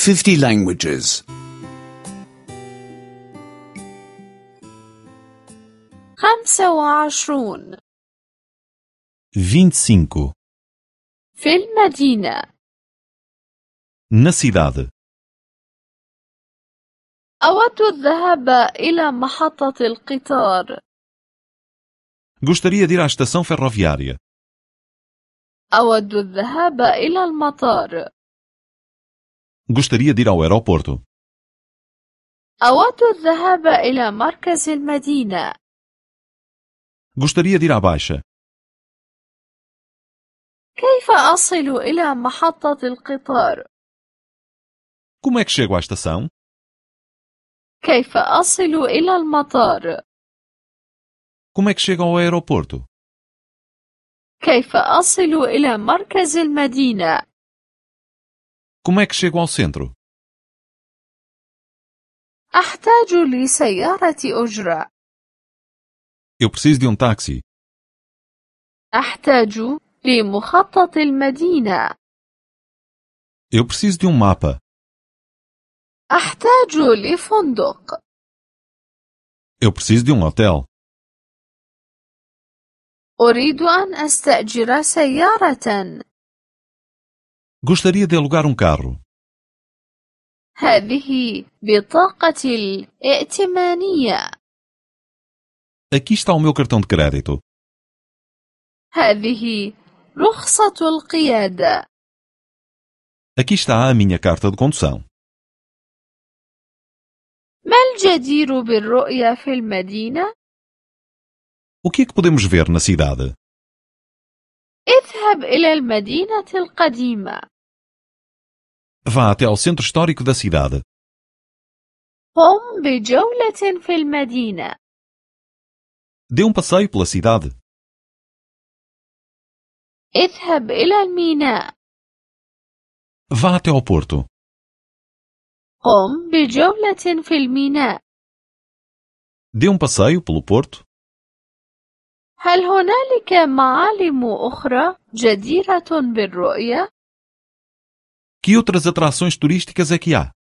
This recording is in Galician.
50 languages. 25 25. في المدينة. Na cidade. أود الذهاب إلى محطة القطار. Gostaria de ir à estação ferroviária. أود الذهاب إلى المطار. Gostaria de ir ao aeroporto. أود الذهاب إلى مركز المدينة. Gostaria de ir à Baixa. كيف أصل إلى محطة القطار؟ Como é que chego à estação? كيف أصل إلى المطار؟ Como é que chego ao aeroporto? كيف أصل إلى مركز المدينة؟ Como é que chego ao centro? أحتاج لسيارة أجرة. Eu preciso de táxi. أحتاج لمخطط المدينة. Eu preciso de mapa. أحتاج لفندق. Eu preciso de hotel. أريد أن أستأجر سيارة. Gostaria de alugar carro. هذه بطاقتي الائتمانية. Aqui está o meu cartão de crédito. هذه رخصة القيادة. Aqui está a minha carta de condução. ما الجدير بالرؤية في المدينة؟ O que é que podemos ver na cidade? اذهب إلى المدينة القديمة. Vá até ao centro histórico da cidade. قم بجولة في المدينة. Dê passeio pela cidade. اذهب إلى الميناء. Vá até ao porto. قم بجولة في الميناء. Dê passeio pelo porto. هل هنالك معالم أخرى جديرة بالرؤية؟ Que outras atrações turísticas é que há?